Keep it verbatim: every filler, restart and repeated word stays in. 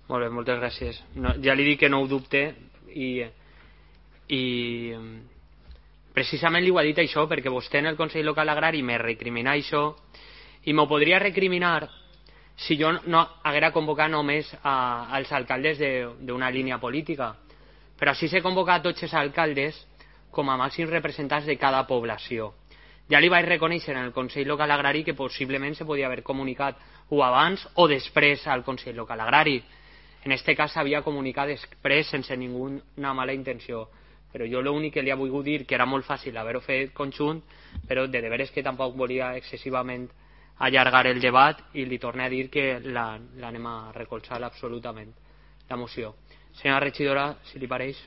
Molt bé, moltes gràcies. No, ja li dic que no ho dubte i, i precisament li ho ha dit això perquè vostè en el Consell Local Agrari me recrimina això i m'ho podria recriminar si jo no haguera convocat només a, als alcaldes d'una línia política, però així s'he convocat tots els alcaldes com a màxims representants de cada població. Ja li vaig reconèixer en el Consell Local Agrari que possiblement se podia haver comunicat o abans o després al Consell Local Agrari. En aquest cas s'havia comunicat després sense ninguna mala intenció, però jo l'únic que li he volgut dir que era molt fàcil haver-ho fet conjunt, però de veres que tampoc volia excessivament allargar el debat i li torno a dir que l'anem a recolzar absolutament, la moció. Senyora regidora, si li pareix.